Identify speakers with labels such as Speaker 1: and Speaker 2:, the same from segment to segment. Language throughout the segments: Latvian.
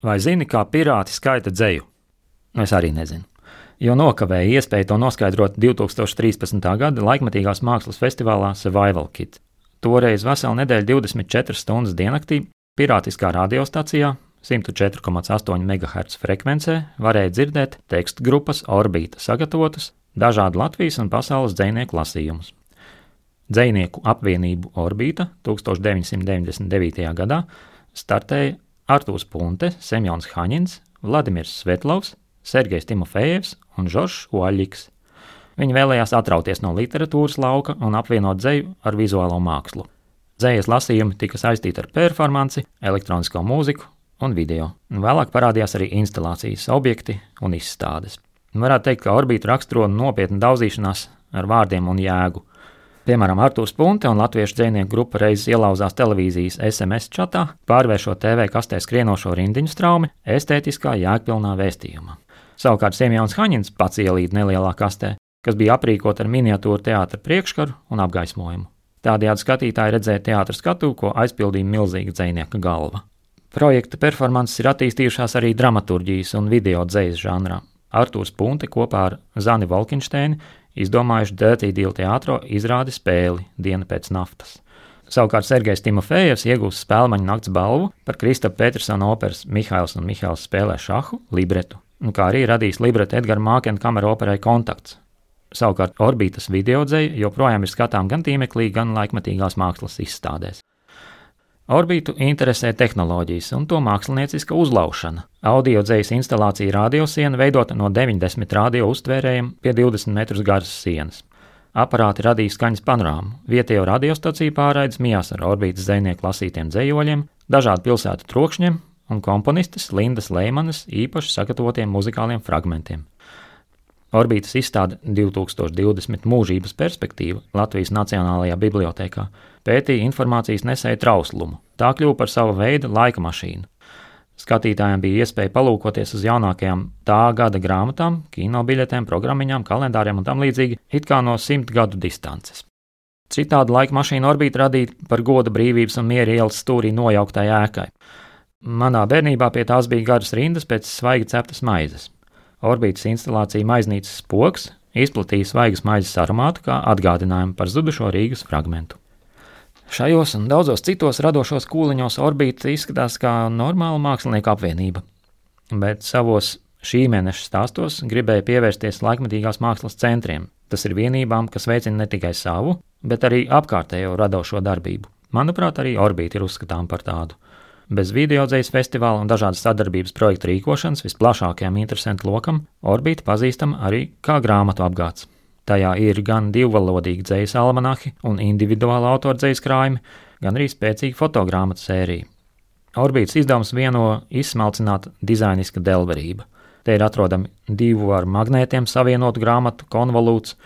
Speaker 1: Vai zini, kā pirāti skaita dzeju? Es arī nezinu, jo nokavēju iespēju to noskaidrot 2013. gada laikmetīgās mākslas festivālā Survival Kit. Toreiz veselu nedēļu 24 stundas diennaktī pirātiskā radiostacijā 104,8 MHz frekvencē varēja dzirdēt tekstu grupas Orbīta sagatavotus dažādu Latvijas un pasaules dzejnieku lasījumus. Dzejnieku apvienību Orbīta 1999. gadā startēja Artūrs Punte, Semjons Haņins, Vladimirs Svetlovs, Sergejs Timofejevs un Žoržs Oļļiks. Viņi vēlējās atrauties no literatūras lauka un apvienot dzeju ar vizuālo mākslu. Dzejas lasījumi tika saistīti ar performanci, elektronisko mūziku un video. Vēlāk parādījās arī instalācijas objekti un izstādes. Varētu teikt, ka Orbītu raksturo nopietna daudzīšanās ar vārdiem un jēgu. Piemēram, Artūrs Punte un latviešu dzejnieku grupa reizes ielauzās televīzijas SMS čatā, pārvēršot TV kastē skrienošo rindiņu straumi estētiskā jēgpilnā vēstījumā. Savukārt Semjons Haņins pats ielīd nelielā kastē, kas bija aprīkota ar miniatūru teātra priekškaru un apgaismojumu. Tādējādi skatītāji redzēja teātra skatuvi, ko aizpildīja milzīga dzejnieka galva. Projekta performances ir attīstījušās arī dramaturģijas un video dzejas žanrā. Artūrs Punte kopā ar Zani Volkinšteini izdomājuši Dirty Deal teātro izrādi spēli Diena pēc naftas. Savukārt Sergejs Timofejevs iegūst Spēlmaņa nakts balvu par Kristapa Petersona operas Mihails un Mihails spēlē šahu libretu, kā arī radījis libretu Edgara Mākena kamera operai Kontakts. Savukārt Orbītas videodzeja joprojām ir skatām gan tīmeklī, gan laikmetīgās mākslas izstādēs. Orbītu interesē tehnoloģijas un to mākslinieciska uzlaušana. Audiodzejas instalācija radiosiena veidota no 90 radio uztvērējiem pie 20 metrus garas sienas. Aparāti radīja skaņas panorāmu, vietējo radiostaciju pārraides mijās ar Orbītas dzejnieku lasītiem dzejoļiem, dažādu pilsētu trokšņiem un komponistes Lindas Leimanas īpaši sagatavotiem muzikāliem fragmentiem. Orbītas izstāde 2020 mūžības perspektīva Latvijas Nacionālajā bibliotēkā pētīja informācijas nesēju trauslumu. Tā kļuva par sava veida laika mašīnu. Skatītājiem bija iespēja palūkoties uz jaunākajām tā gada grāmatām, kino biļetēm, programmiņām, kalendāriem un tam līdzīgi, it kā no 100 gadu distances. Citādi laika mašīna Orbīta radīta par goda brīvības un miera ielas stūrī nojauktai ēkai. Manā bērnībā pie tās bija garas rindas pēc svaigi ceptas maizes. Orbītas instalācija Maiznīcas spoks izplatīja svaigas maizes aromātu kā atgādinājumu par zudušo Rīgas fragmentu. Šajos un daudzos citos radošos kūliņos Orbīta izskatās kā normāla mākslinieka apvienība, bet savos šī mēneša stāstos gribēja pievērsties laikmetīgās mākslas centriem. Tas ir vienībām, kas veicina ne tikai savu, bet arī apkārtējo radošo darbību. Manuprāt, arī Orbīta ir uzskatām par tādu. Bez videodzejas festivāla un dažādas sadarbības projektu rīkošanas visplašākajam interesentu lokam Orbīta pazīstama arī kā grāmatu apgāds. Tajā ir gan divvalodīgi dzejas almanahi un individuāla autora dzejas krājumi, gan arī spēcīga fotogrāmatu sērija. Orbītas izdevums vieno izsmalcināta dizainiska delverība. Te ir atrodami 2 ar magnētiem savienotu grāmatu konvolūts,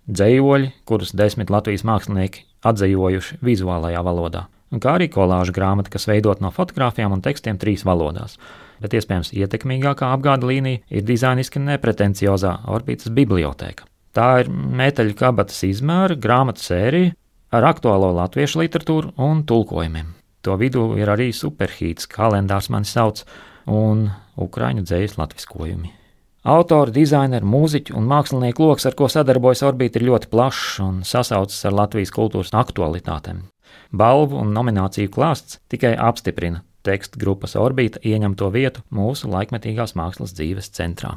Speaker 1: dzejoļi, kurus 10 Latvijas mākslinieki atdzejojuši vizuālajā valodā, un kā arī kolāža grāmata, kas veidot no fotogrāfijām un tekstiem 3 valodās. Bet iespējams ietekmīgākā apgāda līnija ir dizainiski nepretenciozā Orbītas bibliotēka. Tā ir metāļu kabatas izmēra grāmatu sērija ar aktuālo latviešu literatūru un tulkojumiem. To vidū ir arī superhīts, kalendārs mani sauc, un ukraiņu dzejas latviskojumi. Autori, dizaineri, mūziķu un mākslinieku loks, ar ko sadarbojas Orbīta, ir ļoti plašs un sasaucas ar Latvijas kultūras aktualitātēm. Balvu un nomināciju klāsts tikai apstiprina tekstu grupas Orbīta ieņemto vietu mūsu laikmetīgās mākslas dzīves centrā.